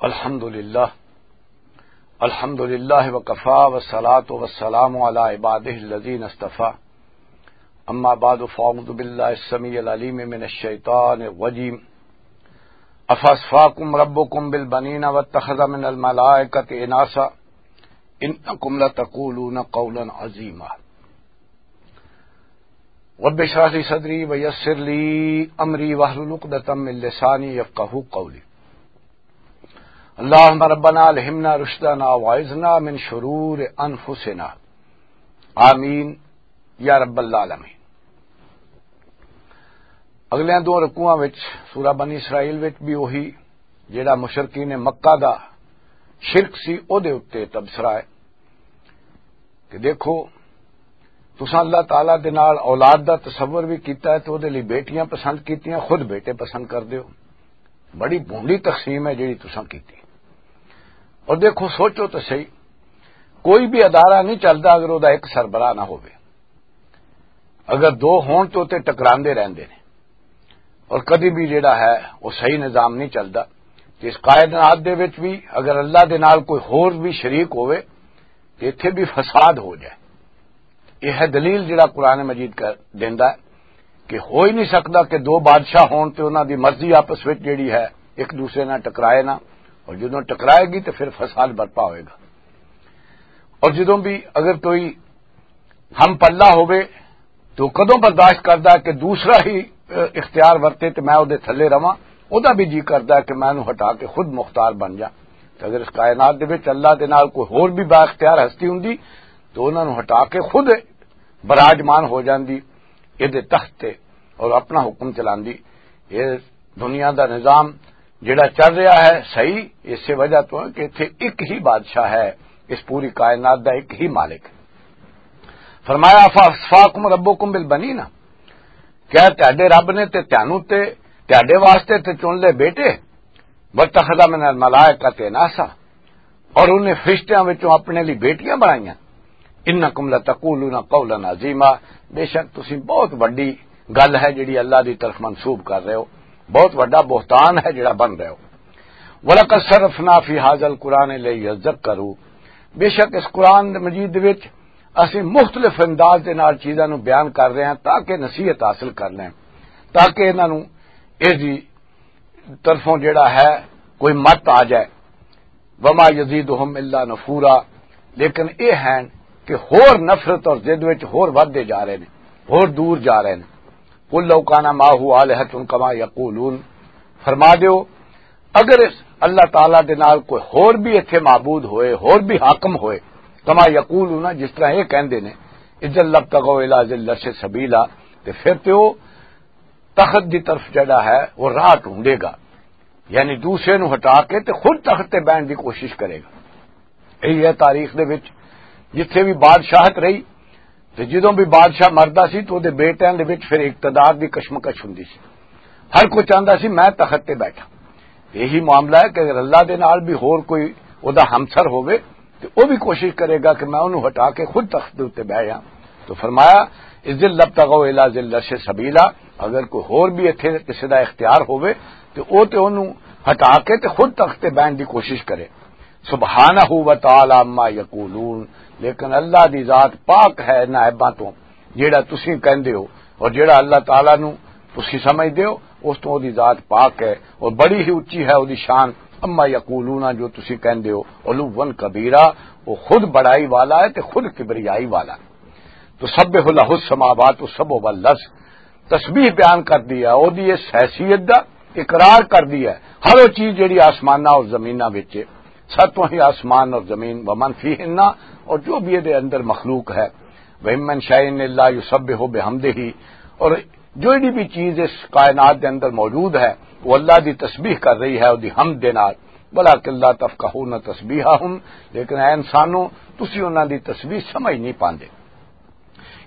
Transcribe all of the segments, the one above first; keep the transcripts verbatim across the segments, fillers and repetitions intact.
الحمد لله. الحمد لله وكفى والصلاة والسلام على عباده الذين اصطفى. أما بعد فأعوذ بالله السميع العليم من الشيطان الرجيم. أفأصفاكم ربكم بالبنين واتخذ من الملائكة إناثا إنكم لتقولون قولا عظيما. رب اشرح لي صدري ويسر لي أمري واحلل عقدة من لساني يفقهوا قولي. اللهم ربنا ألهمنا رشدنا وأعذنا من شرور أنفسنا. آمين يا رب العالمين. اگلیاں دو رکوعاں وچ سورہ بنی اسرائیل وچ بھی وہی جڑا مشرکین مکہ دا شرک سی، او دے اُتے تبصرہ ہے کہ دیکھو، تساں اللہ تعالیٰ دے نال اولاد دا تصور بھی کیتا ہے تے او دے لئی بیٹیاں پسند کیتیاں، خود بیٹے پسند کر دیو۔ بڑی بھونڈی تقسیم ہے جڑی تساں کیتی۔ اور دیکھو، سوچو تو صحیح، کوئی بھی ادارہ نہیں چلدا اگر او دا ایک سربراہ نہ ہووے۔ اگر دو ہون تو تے ٹکراندے رہندے نے، اور کدی بھی جڑا ہے وہ صحیح نظام نہیں چلدا۔ تے اس کائنات دے وچ بھی اگر اللہ دے نال کوئی ہور بھی شریک ہووے تے ایتھے بھی فساد ہو جائے۔ یہ ہے دلیل جڑا قرآن مجید کا دیندا ہے کہ ہو ہی نہیں سکدا کہ دو بادشاہ ہون تے انہاں دی مرضی آپس وچ جڑی ہے ایک دوسرے نال ٹکرائے نہ، اور جدوں ٹکرائے گی تے پھر فساد برپا ہوئے گا۔ اور جدوں بھی اگر کوئی ہم پلہ ہووے تو کدوں برداشت کردا ہے کہ دوسرا ہی، اہ، اختیار ورتے تے میں او دے تھلے رواں؟ او دا بھی جی کردا ہے کہ میں انہوں ہٹا کے خود مختار بن جاں۔ تے اگر اس کائنات دے وچ اللہ دے نال کوئی ہور بھی با اختیار ہستی ہوندی تو انہاں نوں ہٹا کے خود براجمان ہو جاندی اے دے تخت تے اور اپنا حکم چلاندی۔ اے دنیا دا نظام جڑا چل رہا ہے صحیح، اسی وجہ تو ہے کہ اتھے ایک ہی بادشاہ ہے، اس پوری کائنات دا ایک ہی مالک ہے۔ فرمایا، "فاصفاکم ربکم بالبنین"، کیا تہاڈے رب نے تے تانوں تے تہاڈے واسطے تے چن لے بیٹے؟ "واتخذ من الملائکۃ اناثا"، اور انہیں فرشتیاں وچوں اپنے لئی بیٹیاں بنائیاں۔ "انکم لتقولون قولا عظیما"، بے شک تسی بہت وڈی گل ہے جڑی اللہ دی طرف منسوب کر رہے ہو، بہت وڈا بہتان ہے جڑا بن رہے ہو۔ "ولقد صرفنا فی ھذا القرآن لیذکروا"، بے شک اس قرآن مجید وچ اسی مختلف انداز دے نال چیزاں نوں بیان کر رہے ہیں تاکہ نصیحت حاصل کر لیں، تاکہ انہاں نوں اس دی طرفوں جڑا ہے کوئی مت آ جائے۔ "وما یزیدہم الا نفورا"، لیکن اے ہیں کہ ہور نفرت اور ضد وچ ہور ودھدے جا رہے نے، ہور دور جا رہے نے۔ "قل لو کان معہ آلہۃ کما یقولون"، فرما دیو، اگر اس اللہ تعالیٰ دے نال کوئی ہور بھی ایتھے معبود ہوئے، ہور بھی حاکم ہوئے، کما یقولون، جس طرح یہ کہندے نے، "اذا لابتغوا الی ذی العرش سبیلا"، تے پھر تے او تخت دی طرف جڑا ہے وہ راہ ڈھونڈے گا، یعنی دوسرے نو ہٹا کے تے خود تخت تے بہن دی کوشش کرے گا۔ یہی ہے تاریخ دے وچ، جتھے بھی بادشاہت رہی تے جدوں بھی بادشاہ مردا سی تو دے بیٹیاں دے وچ پھر اقتدار دی کشمکش ہوندی سی۔ ہر کوئی چاہندا سی میں تخت تے بیٹھا۔ یہی معاملہ ہے کہ اگر اللہ دے نال بھی ہور کوئی او دا ہمسر ہووے، تے او بھی کوشش کرے گا کہ میں انہوں ہٹا کے خود تخت دے اُتے بہہ جاں۔ تو فرمایا، "اذ لابتغوا الی ذی العرش سبیلا"، اگر کوئی ہور بھی ایتھے کسی دا اختیار ہووے، تے او تے انہوں ہٹا کے تے خود تخت تے بہن دی کوشش کرے۔ "سبحانہ و تعالی عما یقولون"، لیکن اللہ دی ذات پاک ہے انہاں عیباں تو، جیڑا تسی کہندے ہو، اور جیڑا اللہ تعالی نو تسی سمجھدے ہو، اس تو دی ذات پاک ہے، اور بڑی ہی اچھی ہے او دی شان۔ "عما یقولون"، جو تسی کہندے ہو، "علوا کبیرا"، وہ خود بڑائی والا ہے تے خود کبریائی والا۔ "تسبح لہ السماوات السبع والارض"، تسبیح بیان کر دی ہے، او دی اس حیثیت دا اقرار کر دی ہے۔ ہر وہ چیز جڑی آسماناں اور زمیناں وچ ہے، ستوں ہی آسمان اور زمین، "ومن فیہن"، اور جو بھی دے اندر مخلوق ہے، "وَإِن مِّن شَيْءٍ إِلَّا يُسَبِّحُ بِحَمْدِهِ"، اور جڑی بھی چیز اس کائنات دے اندر موجود ہے، وہ اللہ دی تسبیح کر رہی ہے، وہ دی حمد دے نال۔ "وَلَٰكِن لَّا تَفْقَهُونَ تَسْبِيحَهُمْ"، لیکن اے انسانوں، تسی انہاں دی تسبیح سمجھ نہیں پاندے۔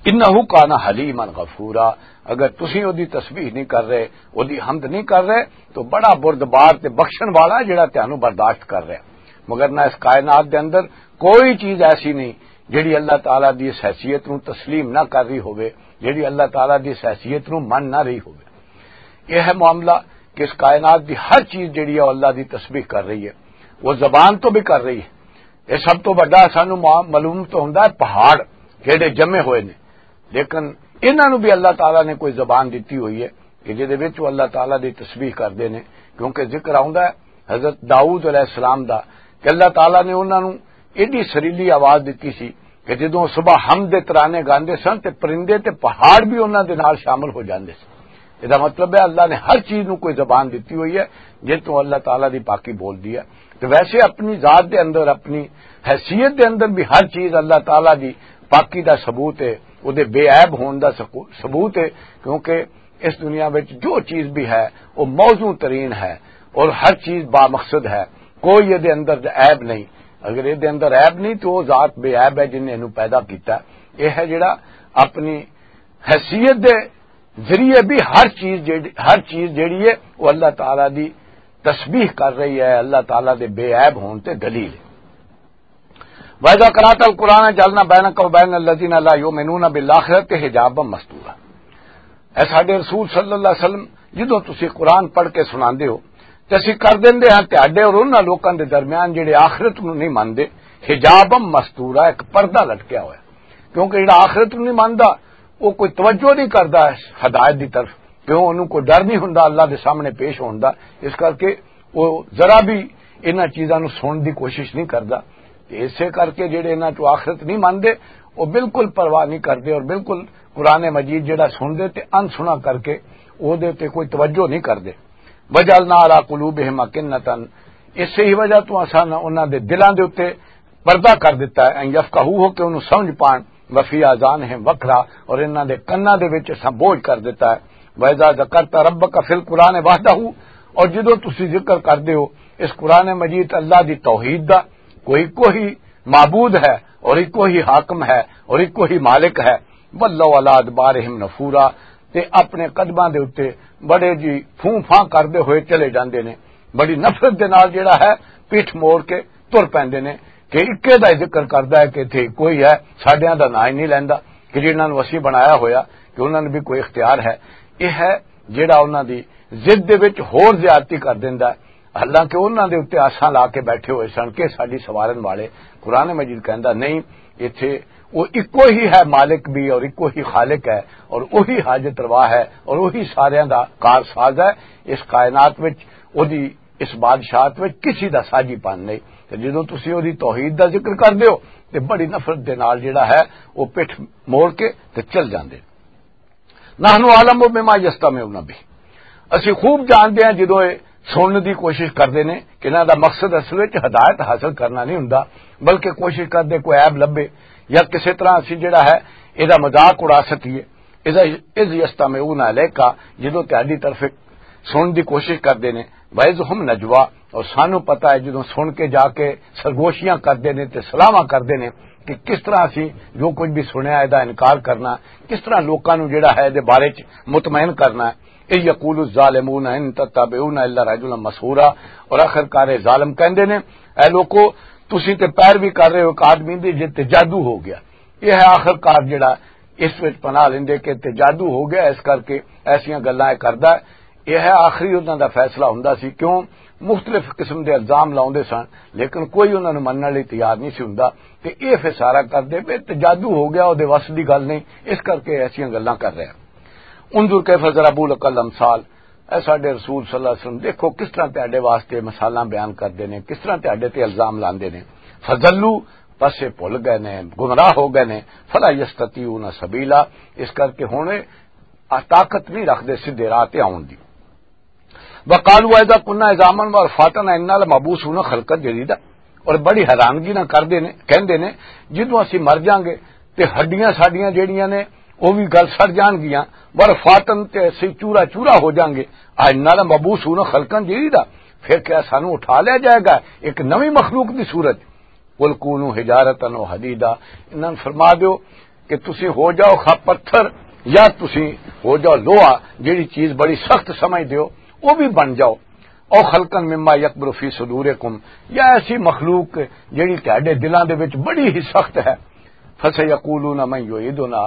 "إِنَّهُ كَانَ حَلِيمًا غَفُورًا"، اگر تسی او دی تسبیح نہیں کر رہے، او دی حمد نہیں کر رہے، تو بڑا بردبار تے بخشن والا ہے جڑا تانوں برداشت کر رہا ہے۔ مگر نہ اس کائنات دے اندر کوئی چیز ایسی نہیں جڑی اللہ تعالیٰ دی اس حیثیت نوں تسلیم نہ کر رہی ہووے، جڑی اللہ تعالیٰ دی اس حیثیت نوں من نہ رہی ہووے۔ یہ ہے معاملہ کہ اس کائنات دی ہر چیز جڑی ہے، وہ اللہ دی تسبیح کر رہی ہے۔ وہ زبان تو بھی کر رہی ہے۔ یہ سب تو بڑا سانو مع-، معلوم تو ہوندا ہے پہاڑ جڑے جمے ہوئے نے، لیکن انہاں نوں بھی اللہ تعالیٰ نے کوئی زبان دتی ہوئی ہے کہ جدے وچ وہ اللہ تعالیٰ دی تسبیح کردے نے، کیونکہ ذکر آوندا ہے حضرت داؤد علیہ السلام دا کہ اللہ تعالیٰ نے انہاں نوں ایڈی سریلی آواز دتی سی کہ جدوں صبح حمد دے ترانے گاندے سن تے پرندے تے پہاڑ بھی انہاں دے نال شامل ہو جاندے سن۔ اس دا مطلب ہے اللہ نے ہر چیز نوں کوئی زبان دتی ہوئی ہے جس تو اللہ تعالیٰ دی پاکی بول دی ہے۔ تو ویسے اپنی ذات دے اندر، اپنی حیثیت دے اندر بھی ہر چیز اللہ تعالیٰ دی پاکی دا ثبوت ہے، وہ دے بے عیب ہون دا سکو-، ثبوت ہے، کیونکہ اس دنیا وچ جو چیز بھی ہے وہ موزوں ترین ہے اور ہر چیز بامقصد ہے، کوئی یہ دے اندر عیب نہیں۔ اگر یہ دے اندر عیب نہیں تو وہ ذات بے عیب ہے جن نے انہوں پیدا کیتا۔ یہ ہے جڑا اپنی حیثیت دے ذریعے بھی ہر چیز جیڑی، ہر چیز جیڑی ہے وہ اللہ تعالیٰ دی تسبیح کر رہی ہے، اللہ تعالیٰ دے بے عیب ہون تے دلیل ہے۔ وَإِذَا قَرَأْتَ الْقُرْآنَ جَعَلْنَا بَيْنَكَ وَبَيْنَ الَّذِينَ لَا يُؤْمِنُونَ بِالْآخِرَةِ حِجَابًا مَسْتُورًا۔ اے ساڈے رسول صلی اللہ علیہ وسلم، جدوں تسی قرآن پڑھ کے سناندے ہو تے اسی کر دیندے ہاں تہاڈے اور انہاں لوکاں دے درمیان جڑے آخرت نوں نہیں مندے، حجابًا مستورا، ایک پردہ لٹکیا ہویا، کیونکہ جڑا آخرت نوں نہیں مندا وہ کوئی توجہ نہیں کردا اس ہدایت دی طرف، کیوں انہوں کوئی ڈر نہیں ہوندا اللہ دے سامنے پیش ہون دا۔ اس کر کے وہ ذرا بھی انہاں چیزاں نوں سنن دی کوشش نہیں کردا۔ تے اسے کر کے جڑے انہاں چوں آخرت نہیں مندے، وہ بالکل پرواہ نہیں کردے اور بالکل قرآن مجید جڑا سن دے تے ان سنا کر کے او دے تے کوئی توجہ نہیں کردے۔ وجعلنا علی قلوبہم اکنۃ، اس ہی وجہ تو اساں انہاں دے دلاں دے اُتے پردہ کر دیتا ہے، ان یفقہوہ، کہ انہوں سمجھ پان، وفی آذانہم وقرا، اور انہاں دے کناں دے وچ اساں بوجھ کر دیتا ہے۔ وَإِذَا ذَكَرْتَ رَبَّكَ فِي الْقُرْآنِ وَحْدَهُ، اور جدوں تسی ذکر کردے ہو اس قرآن مجید اللہ دی توحید دا، کوئی کوئی معبود ہے اور ایک کوئی حاکم ہے اور ایک کوئی مالک ہے، وَلَّوْا عَلَىٰ أَدْبَارِهِمْ نُفُورًا، تے اپنے قدماں دے اُتے بڑے جی پھوں پھاں کردے ہوئے چلے جاندے نے۔ بڑی نفرت دے نال جڑا ہے پیٹھ موڑ کے تر پیندے نے کہ اکے دا ہی ذکر کردا ہے کہ اتھے کوئی ہے، ساڈیاں دا ناں ہی نہیں لیندا کہ جنہاں نوں اسی بنایا ہویا کہ انہاں نوں بھی کوئی اختیار ہے۔ یہ ہے جڑا انہاں دی ضد دے وچ ہور زیادتی کر دیندا ہے، حالانکہ انہاں دے اُتے آساں لا کے بیٹھے ہوئے سن کہ ساڈی سوارن والے۔ قرآن مجید کہندا نہیں، ایتھے وہ اکو ہی ہے مالک بھی اور اکو ہی خالق ہے اور وہی حاجت روا ہے اور وہی ساریاں دا کار ساز ہے۔ اس کائنات وچ، اودی اس بادشاہت وچ کسی دا ساجی پن نہیں۔ تے جدوں تسی اودی توحید دا ذکر کر دیو تے بڑی نفرت دے نال جڑا ہے وہ پٹھ موڑ کے تے چل جاندے۔ نحن اعلم بما یستمعون به، اسی خوب جانتے ہیں جدوں یہ سننے دی کوشش کرتے ہیں کہ انہاں دا مقصد اصل وچ ہدایت حاصل کرنا نہیں ہوندا، بلکہ کوشش کرتے کوئی عیب لبھے یا کسی طرح اسی جڑا ہے یہ مذاق اڑا سکیے۔ اذا، اذ یستمعون الیک، جدوں تہاڈی طرف سنن دی کوشش کردے نے، وَإِذْ هُمْ نَجْوَىٰ، اور سانو پتہ ہے جدوں سن کے جا کے سرگوشیاں کردے نے تے صلاحاں کردے نے کہ کس طرح اسی جو کچھ بھی سنیا ہے دا انکار کرنا، کس طرح لوکاں نوں جڑا ہے دے بارے چ مطمئن کرنا ہے۔ اے یقول الظالمون ان تتبعون الا رجلا مسحورا، اور آخر کار اے ظالم کہندے نے، اے لوکو، تسی تے پیروی کر رہے ہو ایک آدمی دی جے تے جادو ہو گیا۔ یہ ہے آخر کار جڑا اس وچ پناہ لیندے کہ تے جادو ہو گیا، اس کر کے ایسیاں گلاں اے کردا ہے۔ یہ ہے آخری انہاں دا فیصلہ ہوندا سی، کیوں مختلف قسم دے الزام لاؤندے سن، لیکن کوئی انہاں نوں منن لئی تیار نہیں سی ہوندا۔ تے یہ پھر سارا کردے پے تے جادو ہو گیا، او دے وس دی گل نہیں، اس کر کے ایسیاں گلاں کر رہے ہیں۔ انظر کیف ضربوا لک الامثال، اے ساڈے رسول صلی اللہ علیہ وسلم، دیکھو کس طرح تہاڈے واسطے مثالاں بیان کردے نے، کس طرح تہاڈے تے الزام لاندے نے۔ فضلوا، پس اے بھل گئے نے، گمراہ ہو گئے نے۔ فلا یستطیعون سبیلا، اس کر کے ہن اے طاقت نہیں رکھدے سیدھے راہ تے آون دی۔ وقالوا اذا كنا عظاما ورفاتا انا لمبعوثون خلقا جديدا، اور بڑی حیرانگی نہ کردے نے، کہندے نے، جدوں اسی مر جاؤں گے تے ہڈیاں ساڈیاں جیڑیاں نے او بھی گل سڑ جان گیاں، ورفاتن، تے اسی چورا چورا ہو جاؤں گے، انا لمبعوثون خلقا جديدا، پھر کیا سانو اٹھا لیا جائے گا ایک نویں مخلوق دی صورت؟ قل كونوا حجارة أو حديدا، انہاں نوں فرما دیو کہ تسی ہو جاؤ خا پتھر یا تسی ہو جاؤ لوہا، جیڑی چیز بڑی سخت سمجھ دیو، او بھی بن جاؤ۔ او خلقا مما يكبر في صدوركم، یا ایسی مخلوق جیڑی تہاڈے دلاں دے وچ بڑی ہی سخت ہے۔ فسيقولون من يعيدنا،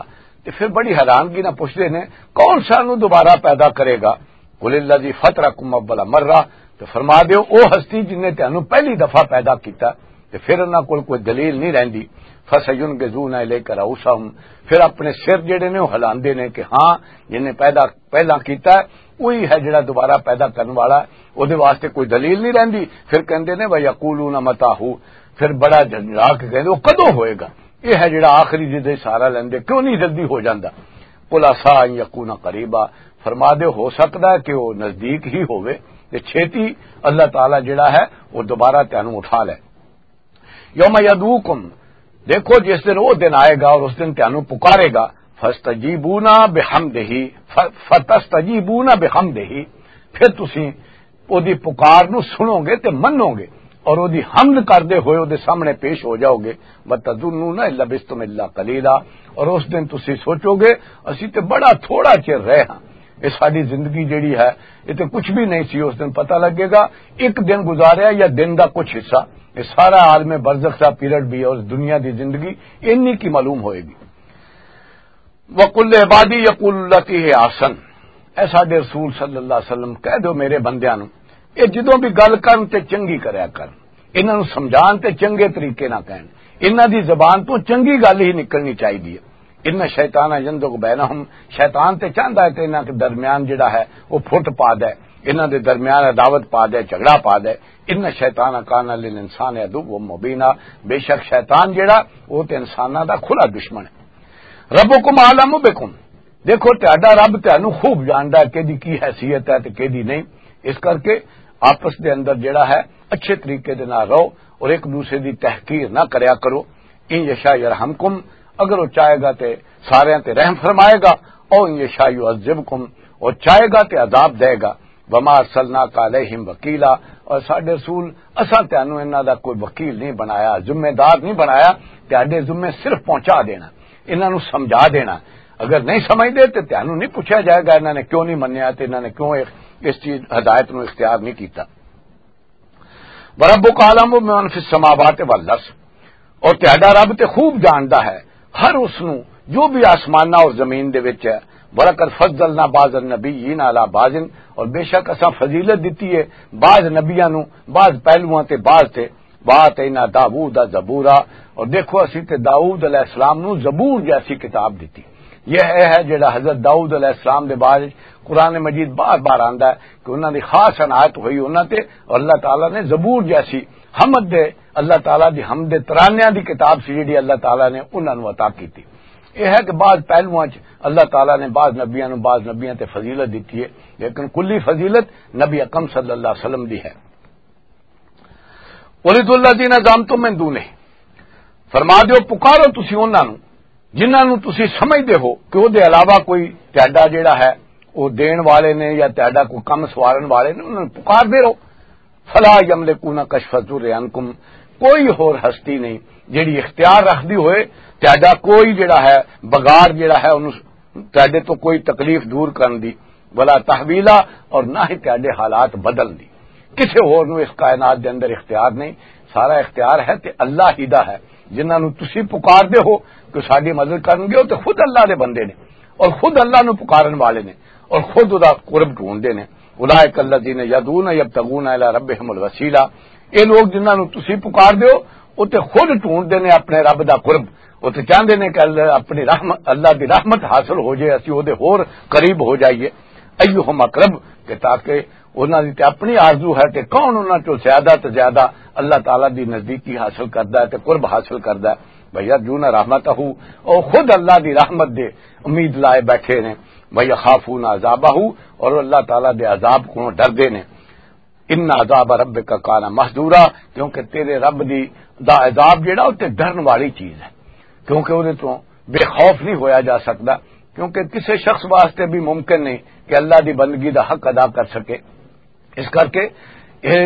تے پھر بڑی حیرانگی نال پوچھدے نے، کون سانو دوبارہ پیدا کرے گا؟ قل الذي فطركم اول مرة، تو فرما دیو، او ہستی جن نے تانوں پہلی دفعہ پیدا کیتا، تے پھر انہاں کول کوئی دلیل نہیں رہندی۔ فَسَيُنْغِضُونَ إِلَيْكَ رُءُوسَهُمْ، پھر اپنے سر جڑے نے او ہلاندے نے کہ ہاں، جن نے پیدا، پہلا کیتا ہے، وہی ہے جڑا دوبارہ پیدا کرن والا ہے، او دے واسطے کوئی دلیل نہیں رہندی۔ پھر کہندے نے، وَيَقُولُونَ مَتَىٰ هُوَ، پھر بڑا جھنجھلا کے کہندے، او کدوں ہوئے گا؟ یہ ہے جڑا آخری جدے سارا لیندے، کیوں نہیں جلدی ہو جاندا؟ قُلْ عَسَىٰ أَن يَكُونَ قَرِيبًا، فرما دے ہو سکدا ہے کہ وہ نزدیک ہی ہووے، تے چھیتی اللہ تعالیٰ جڑا ہے وہ دوبارہ تانوں اٹھا لے۔ یوم یدعوکم، دیکھو جس دن وہ دن آئے گا اور اس دن تانوں پکارے گا، فَاسْتَجِيبُونَ بِحَمْدِهِ، ف-، فَتَسْتَجِيبُونَ بِحَمْدِهِ، پھر تسی او دی پکار نو سنو گے تے منو گے، اور او دی حمد کردے ہوئے او دے سامنے پیش ہو جاؤ گے۔ وَتَظُنُّونَ إِن لَّبِثْتُمْ إِلَّا قَلِيلًا، اور اس دن تسی سوچو گے، اسی تے بڑا تھوڑا چر رہے ہاں، یہ ساری زندگی جڑی ہے، یہ تے کچھ بھی نہیں سی۔ اس دن پتہ لگے گا، ایک دن گزاریا یا دن دا کچھ حصہ، یہ سارا عالم برزخ دا پیریڈ بھی ہے، اس دنیا دی زندگی انی کی معلوم ہوئے گی۔ وَقُل لِّعِبَادِي يَقُولُوا الَّتِي هِيَ أَحْسَنُ، اے ساڈے رسول صلی اللہ علیہ وسلم، کہہ دو میرے بندیاں نوں، اے جدوں بھی گل کرن تے چنگی کریا کرن، انہاں نوں سمجھان تے چنگے طریقے نال کہن، انہاں دی زبان تو چنگی گل ہی نکلنی چاہیے۔ اِنَّ الشَّيْطَانَ يَنزَغُ بَيْنَهُمْ، شیطان تے چاہندا ہے تے انہاں دے درمیان جڑا ہے وہ پھٹ پا دے، انہاں دے درمیان عداوت پا دے، جھگڑا پا دے۔ اِنَّ الشَّيْطَانَ كَانَ لِلْإِنسَانِ عَدُوًّا مُّبِينًا، بے شک شیطان جڑا وہ تے انساناں دا کھلا دشمن ہے۔ رَبُّكُمْ أَعْلَمُ بِكُمْ، دیکھو تہاڈا رب تہانوں خوب جاندا ہے کہدی کی حیثیت ہے تے کہدی نہیں۔ اس کر کے آپس دے اندر جڑا ہے اچھے طریقے دے نال رہو اور ایک دوسرے دی تحقیر نہ کریا کرو۔ اِن یشاء یرحمکم، اگر وہ چاہے گا تے سارے تے رحم فرمائے گا، او اِن یشاء یعذبکم، اور چاہے گا تے عذاب دے گا۔ وَمَا أَرْسَلْنَاكَ عَلَيْهِمْ وَكِيلًا، اور ساڈے رسول، اساں تانوں انہاں دا کوئی وکیل نہیں بنایا، ذمہ دار نہیں بنایا، تہاڈے ذمے صرف پہنچا دینا، انہاں نوں سمجھا دینا۔ اگر نہیں سمجھدے تے تانوں نہیں پوچھا جائے گا انہاں نے کیوں نہیں منیا تے انہاں نے کیوں اس، اس چیز ہدایت نوں اختیار نہیں کیتا۔ وَرَبُّكَ أَعْلَمُ بِمَنْ فِي السَّمَاوَاتِ وَالْأَرْضِ، اور تہاڈا رب تے خوب جاندا ہے ہر اس نوں جو بھی آسماناں اور زمین دے وچ ہے۔ وَلَقَدْ فَضَّلْنَا بَعْضَ النَّبِيِّينَ عَلَىٰ بَعْضٍ، اور بے شک اساں فضیلت دتی ہے بعض نبیاں نوں بعض پہلوواں تے بعض تے۔ وَآتَيْنَا دَاوُودَ زَبُورًا، اور دیکھو اسی تے داؤد علیہ السلام نوں زبور جیسی کتاب دتی۔ یہ ہے جڑا حضرت داؤد علیہ السلام دے بارے قرآن مجید بار بار آندا ہے کہ انہاں دی خاص عنایت ہوئی انہاں تے، اور اللہ تعالیٰ نے زبور جیسی حمد دے، اللہ تعالیٰ دی حمد دے ترانیاں دی کتاب سی جڑی اللہ تعالیٰ نے انہاں نوں عطا کیتی۔ یہ ہے کہ بعض پہلوؤں چ اللہ تعالیٰ نے بعض نبیاں نوں بعض نبیاں تے فضیلت دتی ہے، لیکن کلی فضیلت نبی اکرم صلی اللہ علیہ وسلم دی ہے۔ وَلِدُ الَّذِينَ زَعَمْتُم مِّن دُونِهِ، فرما دیو پکارو تسی انہاں نوں جنہاں نوں تسی سمجھدے ہو کہ او دے علاوہ کوئی تہاڈا جڑا ہے او دین والے نے یا تہاڈا کوئی کم سوارن والے نے، انہاں نوں پکار دے رہو۔ فَلَا يَمْلِكُونَ كَشْفَ الضُّرِّ عَنكُمْ، کوئی ہور ہستی نہیں جڑی اختیار رکھدی ہوئے تہاڈا کوئی جڑا ہے بگاڑ جڑا ہے انہوں تہاڈے تو کوئی تکلیف دور کرن دی، ولا تحویلا، اور نہ ہی تہاڈے حالات بدلن دی۔ کسے ہور نوں اس کائنات دے اندر اختیار نہیں، سارا اختیار ہے تے اللہ ہی دا ہے۔ جنہاں نوں تسی پکار دے ہو کہ ساڈی مدد کرن گے، او تے خود اللہ دے بندے نے اور خود اللہ نوں پکارن والے نے اور خود دا قرب ڈھونڈدے نے۔ اولئک الذین یدعون یبتغون الی ربہم الوسیلہ، اے لوگ جنہاں نوں تسی پکار دے ہو، او تے خود ڈھونڈدے نے اپنے رب دا قرب۔ او تے چاہندے نے کہ اللہ، اپنی رحمت، اللہ دی رحمت حاصل ہو جائے، اسی او دے ہور قریب ہو جائیے۔ ایہم اقرب، کہ تاکہ انہاں دی تے اپنی آرزو ہے کہ کون انہاں چوں زیادہ تے زیادہ اللہ تعالیٰ دی نزدیکی حاصل کردا ہے تے قرب حاصل کردا ہے۔ وَيَرْجُونَ رَحْمَتَهُ، او خود اللہ دی رحمت دے امید لائے بیٹھے نے۔ وَيَخَافُونَ عَذَابَهُ، اور اللہ تعالیٰ دے عذاب کو ڈردے نے۔ اِنَّ عَذَابَ رَبِّكَ كَانَ مَحْذُورًا، کیونکہ تیرے رب دی، دا عذاب جڑا، او تے ڈرن والی چیز ہے، کیونکہ اودے تو بے خوف نہیں ہویا جا سکدا، کیونکہ کسے شخص واسطے بھی ممکن نہیں کہ اللہ دی بندگی دا حق ادا کر سکے۔ اس کر کے یہ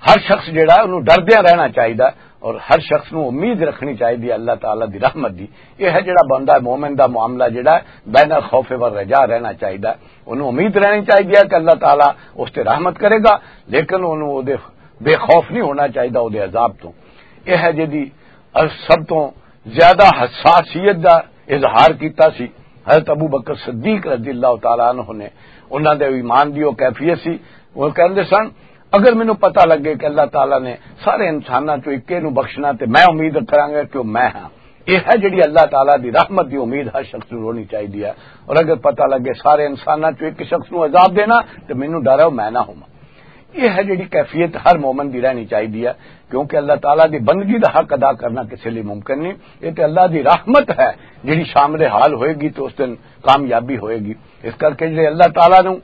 ہر شخص جڑا ہے، انہوں ڈردیاں رہنا چاہیدا ہے اور ہر شخص نوں امید رکھنی چاہیدی ہے اللہ تعالیٰ دی رحمت دی۔ یہ ہے جڑا بندہ مومن دا معاملہ جڑا ہے، بین الخوف والرجاء رہنا چاہیدا ہے۔ انہوں امید رہنی چاہیدی ہے کہ اللہ تعالیٰ اس تے رحمت کرے گا، لیکن انہوں او دے بے خوف نہیں ہونا چاہیدا او دے عذاب تو۔ یہ ہے جدی سب تو زیادہ حساسیت دا اظہار کیتا سی حضرت ابو بکر صدیق رضی اللہ تعالیٰ عنہ نے۔ انہاں دے ایمان دی او کیفیت سی، وہ کہندے سن، اگر مینوں پتہ لگے کہ اللہ تعالیٰ نے سارے انساناں چوں اکے نوں بخشنا، تے میں امید کراں گا کہ وہ میں ہاں۔ یہ ہے جڑی اللہ تعالیٰ دی رحمت دی امید ہر شخص نوں ہونی چاہیے ہے۔ اور اگر پتہ لگے سارے انساناں چوں ایک شخص نوں عذاب دینا، تے مینوں ڈر ہے وہ میں نہ ہوواں۔ یہ ہے جڑی کیفیت ہر مومن دی رہنی چاہیے ہے، کیونکہ اللہ تعالیٰ دی بندگی دا حق ادا کرنا کسی لیے ممکن نہیں۔ یہ تے اللہ دی رحمت ہے جڑی شامل حال ہوئے گی، تو اس دن کامیابی ہوئے گی۔ اس کر کے جڑے اللہ تعالیٰ نوں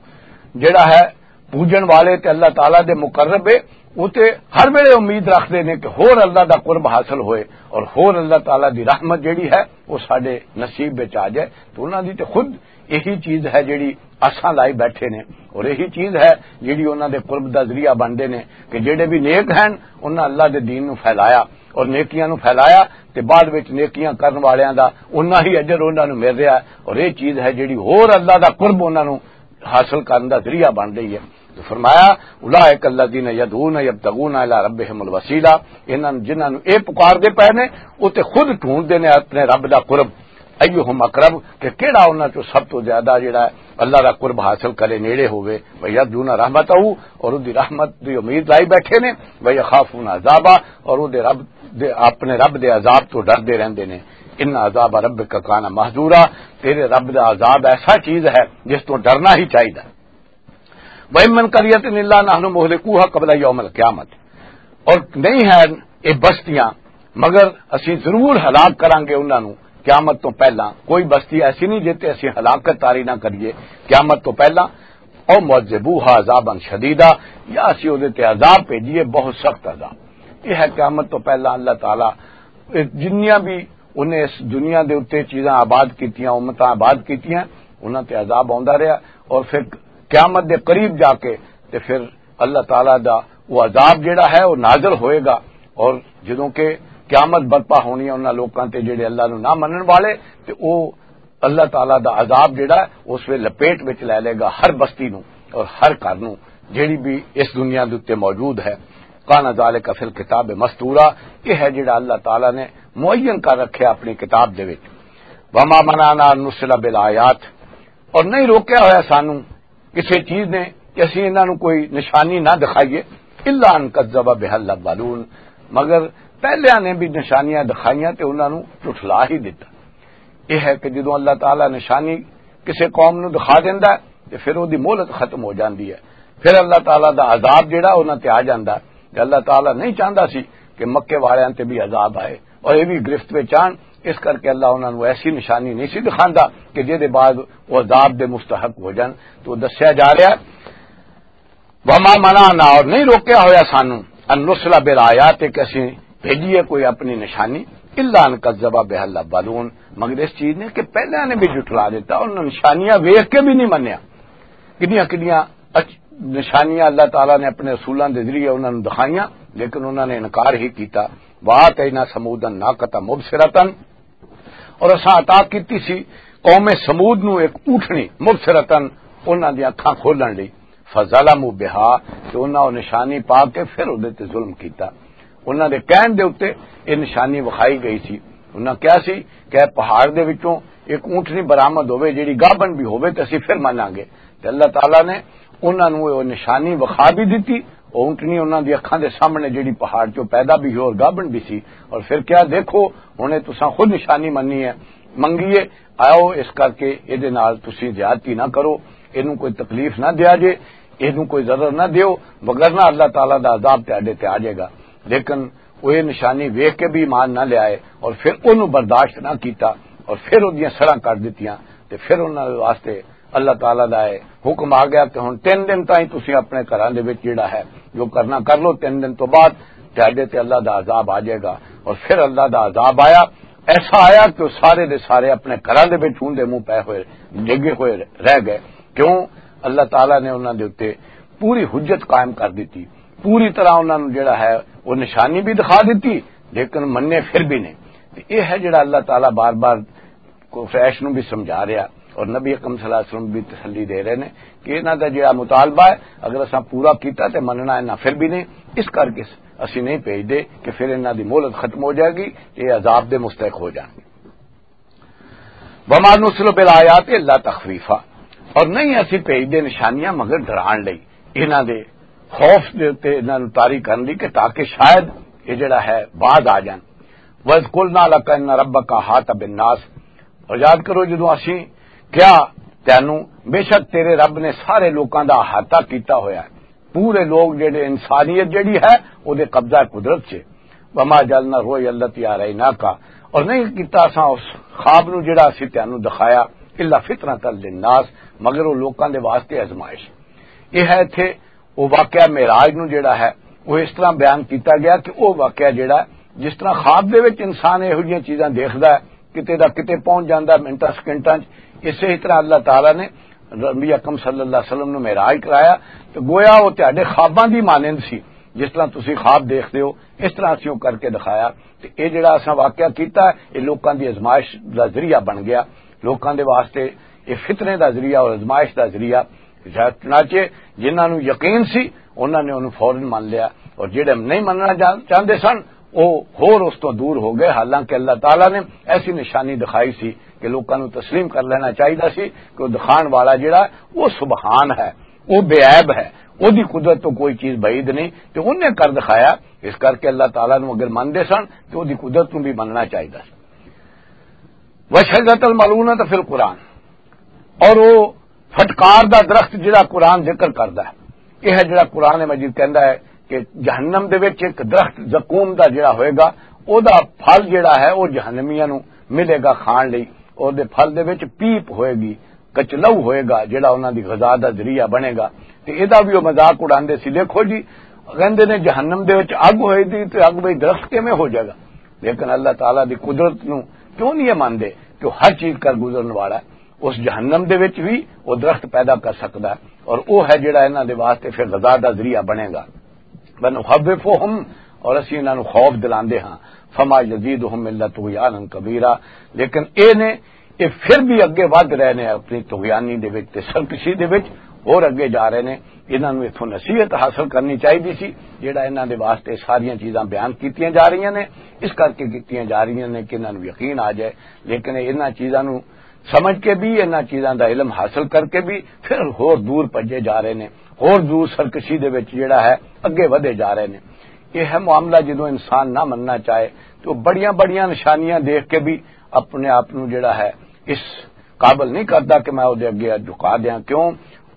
جڑا ہے پوجن والے تے اللہ تعالیٰ دے مقرب ہے، وہ تے ہر ویلے امید رکھدے نے کہ ہور اللہ دا قرب حاصل ہوئے اور ہور اللہ تعالیٰ دی رحمت جڑی ہے، وہ ساڈے نصیب وچ آ جائے۔ تو انہاں دی تے خود یہی چیز ہے جڑی آساں لائی بیٹھے نے، اور یہی چیز ہے جڑی انہاں دے قرب دا ذریعہ بنتے نے کہ جڑے بھی نیک ہیں، انہاں اللہ دے دین نو پھیلایا اور نیکیاں نو پھیلایا، تے بعد وچ نیکیاں کرن والیاں دا انہاں ہی اجر انہاں نو مل رہا ہے۔ اور یہ چیز ہے جڑی ہور اللہ دا قرب انہاں نو حاصل کرن دا ذریعہ بن رہی ہے۔ تو فرمایا، "اولئک الذین یدعون یبتغون الی ربہم الوسیلہ"، انہاں جنہاں نوں اے پکار دے پے نے، او تے خود ڈھونڈدے نے اپنے رب دا قرب۔ ایہم اقرب، کہ کیڑا انہاں چوں سب تو زیادہ جڑا ہے اللہ دا قرب حاصل کرے، نیڑے ہووے۔ ویرجون رحمتہ، اور اودی رحمت دی امید لائی بیٹھے نے۔ ویخافون عذابہ، اور اودے رب دے، اپنے رب دے عذاب تو ڈردے رہندے نے۔ ان عذاب ربک کان محذورا، تیرے رب دا عذاب ایسا چیز ہے جس تو ڈرنا ہی چاہیدا۔ وَإِن مِّن قَرْيَةٍ إِلَّا نَحْنُ مُهْلِكُوهَا قَبْلَ يَوْمِ الْقِيَامَةِ، اور نہیں ہے یہ بستیاں مگر اسی ضرور ہلاک کران گے انہاں نوں قیامت تو پہلا۔ کوئی بستی ایسی نہیں جتے اسی ہلاکت تاری نہ کریے قیامت تو پہلا۔ او معذبوها عذابا شدیدا، یا اسی اودے تے عذاب بھیجیے، بہت سخت عذاب۔ یہ ہے قیامت تو پہلا اللہ تعالیٰ جنیاں بھی انہیں اس دنیا دے اُتے چیزاں آباد کیتیاں، امتاں آباد کیتیاں، انہاں تے عذاب آوندا رہیا۔ اور پھر قیامت دے قریب جا کے تے پھر اللہ تعالیٰ دا وہ عذاب جڑا ہے وہ نازل ہوئے گا۔ اور جدوں کہ قیامت برپا ہونی ہے انہاں لوکاں تے جڑے اللہ نو نہ منن والے، تے وہ اللہ تعالیٰ دا عذاب جڑا ہے اس ویلے لپیٹ وچ لے لے گا ہر بستی نو اور ہر گھر نو، جڑی بھی اس دنیا دے اُتے موجود ہے۔ کان ذالک فی الکتاب مستورا، یہ ہے جڑا اللہ تعالیٰ نے معین کر رکھیا اپنی کتاب دے وچ۔ وما منعنا ان نرسل بالآیات، اور نہیں روکیا ہویا سانو کسی چیز نے کہ اسی انہاں نوں کوئی نشانی نہ دکھائیے، الا ان کذب بها الاولون، مگر پہلیاں نے بھی نشانیاں دکھائیاں تے انہاں نوں جھٹلا ہی دتا۔ یہ ہے کہ جدوں اللہ تعالیٰ نشانی کسی قوم نوں دکھا دیندا ہے تے پھر وہ دی مہلت ختم ہو جاندی ہے، پھر اللہ تعالیٰ دا عذاب جڑا انہاں تے آ جاندا ہے۔ تے اللہ تعالیٰ نہیں چاہندا سی کہ مکے والیاں تے بھی عذاب آئے، اور یہ بھی گرفت وچ آن۔ اس کر کے اللہ انہاں نوں ایسی نشانی نہیں سی دکھاندا کہ جے دے بعد وہ عذاب دے مستحق ہو جان۔ تو دسیا جا رہا ہے، وما منعنا، اور نہیں روکیا ہویا سانو، ان نرسل بالآیات، کہ اسی بھیجیے کوئی اپنی نشانی، الا ان کذب بها الاولون، مگر اس چیز نے کہ پہلے نے بھی جھٹلا دیتا، انہاں نشانیاں ویکھ کے بھی نہیں منیا۔ کدیاں کدیاں اچ-، نشانیاں اللہ تعالیٰ نے اپنے رسولاں دے ذریعے انہاں نوں دکھائیاں، لیکن انہاں نے انکار ہی کیتا۔ وآتینا ثمود الناقۃ مبصرۃ، اور اساں عطا کیتی سی قوم ثمود نوں ایک اونٹنی، مبصرۃ، انہاں دی اکھاں کھولن لئی۔ فظلموا بها، تے انہاں او نشانی پا کے پھر اودے تے ظلم کیتا۔ انہاں دے کہن دے اُتے یہ نشانی وکھائی گئی سی۔ انہاں کہا سی کہ اے پہاڑ دے وچوں ایک اونٹنی برآمد ہووے، جڑی گابن بھی ہووے تے اسی پھر مناں گے۔ تے اللہ تعالیٰ نے انہاں نوں وہ نشانی وکھا بھی دتی۔ وہ اونٹنی انہاں دی اکھاں دے سامنے جڑی پہاڑ چوں پیدا بھی ہوئی اور گابن بھی سی۔ اور پھر کیا دیکھو، ہن اے تساں خود نشانی منی ہے، منگی ہے، آؤ اس کر کے اے دے نال تسی زیادتی نہ کرو، اینوں کوئی تکلیف نہ دیا جے، اینوں کوئی ضرر نہ دیو، وگرنہ اللہ تعالیٰ دا عذاب تہاڈے تے آ جائے گا۔ لیکن وہ یہ نشانی ویکھ کے بھی ایمان نہ لے آئے اور پھر انہوں برداشت نہ کیتا اور پھر اودیاں سراں کر دتیاں، تے پھر انہاں دے واسطے اللہ تعالیٰ دا ہے حکم آ گیا کہ ہن تین دن تائیں تسی اپنے گھراں دے وچ جڑا ہے جو کرنا کر لو، تین دن تو بعد تہاڈے تے اللہ دا عذاب آ جائے گا۔ اور پھر اللہ دا عذاب آیا، ایسا آیا کہ وہ سارے دے سارے اپنے گھراں دے وچ ہوں دے منہ پے ہوئے، ڈگے ہوئے رہ گئے۔ کیوں؟ اللہ تعالیٰ نے انہاں دے اُتے پوری حجت قائم کر دتی، پوری طرح انہاں نوں جڑا ہے وہ نشانی بھی دکھا دتی، لیکن منے پھر بھی نہیں۔ تے یہ ہے جڑا اللہ تعالیٰ بار بار قریش نوں بھی سمجھا رہا اور نبی اکرم صلی اللہ علیہ وسلم بھی تسلی دے رہے نے کہ انہاں دا جڑا مطالبہ ہے، اگر اساں پورا کیتا تے مننا انہاں پھر بھی نہیں، اس کر کے اسی نہیں بھیج دے کہ پھر انہاں دی مہلت ختم ہو جائے گی، یہ عذاب دے مستحق ہو جان گے۔ وما نرسل بالآیات الا تخویفا، اور نہیں اسی بھیج دے نشانیاں مگر ڈران لئی انہاں دے خوف دے تے انہاں نوں طاری کرن دی کہ تاکہ شاید یہ جڑا ہے باز آ جان۔ وَإِذْ قُلْنَا لَكَ إِنَّ رَبَّكَ أَحَاطَ بِالنَّاسِ۔ اور یاد کرو جدوں اسی کیا تینوں، بے شک تیرے رب نے سارے لوکاں دا احاطہ کیتا ہویا ہے۔ پورے لوگ جڑے، انسانیت جڑی ہے، او دے قبضہ قدرت چ۔ وَمَا جَعَلْنَا الرُّؤْيَا الَّتِي أَرَيْنَاكَ، اور نہیں کیتا اساں اس خواب نو جڑا اسی تینوں دکھایا، إِلَّا فِتْنَةً لِلنَّاسِ، مگر او لوکاں دے واسطے آزمائش۔ یہ ہے اتھے وہ واقعہ معراج نو جڑا ہے، وہ اس طرح بیان کیتا گیا کہ وہ واقعہ جڑا ہے، جس طرح خواب دے وچ انسان یہو جیاں چیزاں دیکھدا ہے، کتے دا کتے پہنچ جاندا ہے منٹاں سیکنڈاں چ، اسے ہی طرح اللہ تعالیٰ نے نبی اکرم صلی اللہ علیہ وسلم نو معراج کرایا۔ تو گویا وہ تہاڈے خواباں دی مانند سی، جس طرح تسی خواب دیکھدے ہو، اس طرح اسی وہ کر کے دکھایا۔ تے اے جڑا اساں واقعہ کیتا ہے، اے لوکاں دی آزمائش دا ذریعہ بن گیا، لوکاں دے واسطے اے فتنے دا ذریعہ اور آزمائش دا ذریعہ۔ چنانچہ جنہاں نوں یقین سی، انہاں نے انہوں فوراً من لیا، اور جڑے نہیں مننا جان-، چاہندے سن، او ہور اس تو دور ہو گئے۔ حالانکہ اللہ تعالیٰ نے ایسی نشانی دکھائی سی کہ لوکاں نوں تسلیم کر لینا چاہیدا سی کہ وہ دکھان والا جڑا، وہ سبحان ہے، وہ بے عیب ہے، وہ دی قدرت تو کوئی چیز بعید نہیں، تے انہیں کر دکھایا۔ اس کر کے اللہ تعالیٰ نوں اگر مندے سن، تے وہ دی قدرت نوں بھی مننا چاہیدا سی۔ وَالشَّجَرَةَ الْمَلْعُونَةَ فِي الْقُرْآنِ، اور وہ پھٹکار دا درخت جڑا قرآن ذکر کردا ہے، یہ ہے جڑا قرآن مجید کہندا ہے کہ جہنم دے وچ ایک درخت زقوم دا جڑا ہوئے گا، او دا پھل جڑا ہے، او جہنمیاں نوں ملے گا کھان لئی۔ اور دے پھل دے وچ پیپ ہوئے گی، کچلو ہوئے گا، جڑا انہاں دی غذا دا ذریعہ بنے گا۔ تے اے دا بھی وہ مذاق اڑاندے سی، دیکھو جی، کہندے نے جہنم دے وچ اگ ہوئے دی، تے اگ وچ درخت کیویں ہو جائے گا؟ لیکن اللہ تعالیٰ دی قدرت نوں کیوں نہیں یہ مندے کہ وہ ہر چیز کر گزرن والا ہے؟ اس جہنم دے وچ بھی وہ درخت پیدا کر سکدا ہے، اور وہ ہے جڑا انہاں دے واسطے پھر غذا دا ذریعہ بنے گا۔ وَنُخَوِّفُهُمْ، اور اسی انہاں نوں خوف دلاندے ہاں، فَمَا يَزِيدُهُمْ إِلَّا طُغْيَانًا كَبِيرًا، لیکن اے نے، اے پھر بھی اگے ودھ رہے نے اپنی طغیانی دے وچ تے سرکشی دے وچ، اور اگے جا رہے نے۔ انہاں نوں اتھوں نصیحت حاصل کرنی چاہیدی سی، جڑا انہاں دے واسطے ساریاں چیزاں بیان کیتیاں جا رہیاں نے، اس کر کے کیتیاں جا رہیاں نے کہ انہاں نوں یقین آ جائے۔ لیکن انہاں چیزاں نوں سمجھ کے بھی، انہاں چیزاں دا علم حاصل کر کے بھی پھر ہور دور بھجے جا رہے نے، ہور دور سرکشی دے وچ جڑا ہے اگے ودھے جا رہے نے۔ یہ ہے معاملہ، جدوں انسان نہ مننا چاہے تو بڑیاں بڑیاں نشانیاں دیکھ کے بھی اپنے آپ نوں جڑا ہے اس قابل نہیں کردا کہ میں اودے اگے جھکا دیاں۔ کیوں؟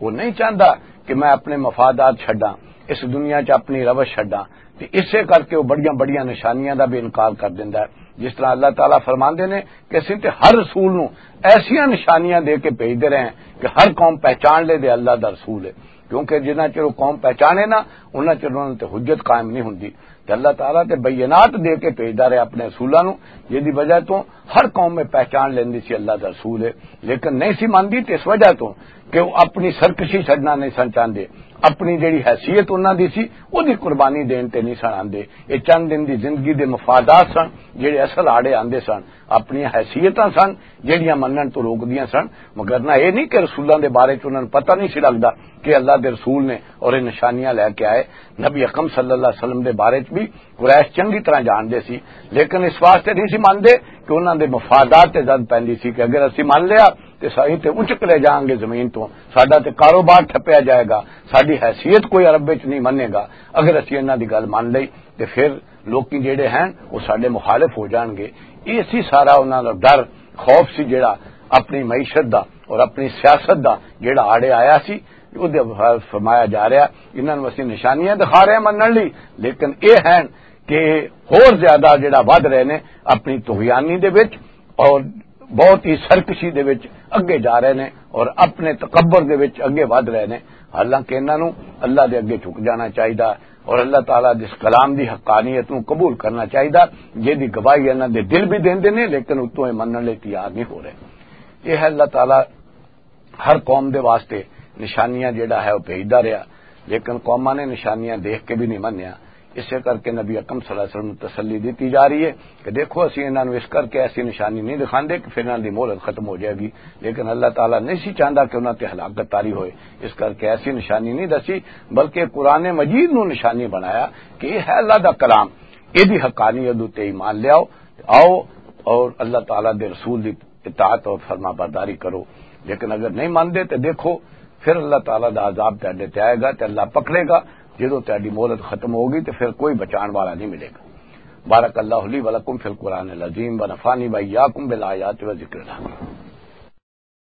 وہ نہیں چاہندا کہ میں اپنے مفادات چھڈاں، اس دنیا چ اپنی روش چھڈاں۔ تے اسے کر کے وہ بڑیاں بڑیاں نشانیاں دا بھی انکار کر دیندا ہے۔ جس طرح اللہ تعالیٰ فرماندے نے کہ اسی تے ہر رسول نوں ایسیاں نشانیاں دے کے بھیجدے رہے ہیں کہ ہر قوم پہچان لے دے اللہ دا رسول ہے، کیونکہ جنہ چر وہ قوم پہچانے نہ، انہاں چر انہاں تے حجت قائم نہیں ہوندی۔ تے اللہ تعالیٰ تے بینات دے کے بھیجدا رہے اپنے رسولاں نوں، جس دی وجہ تو ہر قوم میں پہچان لیندی سی اللہ دا رسول ہے، لیکن نہیں سی ماندی تے اس وجہ تو کہ وہ اپنی سرکشی چھڈنا نہیں سن چاہندے، اپنی جڑی حیثیت انہاں دی سی، وہ دی قربانی دین تے نہیں سن آندے۔ یہ چند دن دی زندگی دے مفادات سن، جڑے اصل آڑے آندے سن، اپنی حیثیتاں سن، جڑیاں منن تو روک دیاں سن۔ مگر نہ یہ نہیں کہ رسولاں دے بارے چ انہاں نوں پتہ نہیں سی لگدا کہ اللہ دے رسول نے اور یہ نشانیاں لے کے آئے۔ نبی اکرم صلی اللہ علیہ وسلم دے بارے چ بھی قریش چنگی طرح جاندے سی، لیکن اس واسطے نہیں سی ماندے کہ انہاں دے مفادات تے زد پیندی سی کہ اگر اسی مان لیا تے سائیں تے اچک لے جاؤں گے زمین تو، ساڈا تے کاروبار ٹھپیا جائے گا، ساڈی حیثیت کوئی عرب وچ نہیں منے گا۔ اگر اسی انہاں دی گل مان لئی تے پھر لوکی جڑے ہیں وہ ساڈے مخالف ہو جان گے۔ یہ سی سارا انہاں دا ڈر، خوف سی جڑا اپنی معیشت دا اور اپنی سیاست دا جڑا آڑے آیا سی۔ وہ فرمایا جا رہا، انہاں نوں اسی نشانیاں دکھا رہے ہیں منن لئی، لیکن یہ ہیں کہ ہور زیادہ جڑا ودھ رہے نے اپنی طغیانی دے وچ اور بہت ہی سرکشی دے وچ اگے جا رہے نے اور اپنے تکبر دے وچ اگے ودھ رہے نے۔ حالانکہ انہاں نوں اللہ دے اگے جھک جانا چاہیدا اور اللہ تعالیٰ دے اس کلام دی حقانیت نوں قبول کرنا چاہیدا، جس دی گواہی انہاں دے دل بھی دیندے نے، لیکن اتوں یہ منن لئی تیار نہیں ہو رہے۔ یہ ہے اللہ تعالیٰ ہر قوم دے واسطے نشانیاں جڑا ہے وہ بھیجدا رہیا، لیکن قوماں نے نشانیاں دیکھ کے بھی نہیں منیا۔ اسے کر کے نبی اکرم صلی اللہ علیہ وسلم نوں تسلی دتی جا رہی ہے کہ دیکھو، اسی انہاں نوں اس کر کے ایسی نشانی نہیں دکھاندے کہ پھر انہاں دی مہلت ختم ہو جائے گی، لیکن اللہ تعالیٰ نہیں سی چاہندا کہ انہاں تے ہلاکت طاری ہوئے، اس کر کے ایسی نشانی نہیں دسی، بلکہ قرآن مجید نوں نشانی بنایا کہ یہ ہے اللہ دا کلام، یہ دی حقانیت اتے ایمان لیاؤ، آؤ اور اللہ تعالیٰ دے رسول دی اطاعت اور فرما برداری کرو۔ لیکن اگر نہیں مانتے تو دیکھو، پھر اللہ تعالیٰ دا عذاب تہاڈے تے آئے گا تے اللہ پکڑے گا۔ جدوں تہاڈی مہلت ختم ہوگی تے پھر کوئی بچان والا نہیں ملے گا۔ بارک اللہ لی ولکم فی القرآن العظیم و نفعنی و ایاکم بالآیات و ذکر الحکیم۔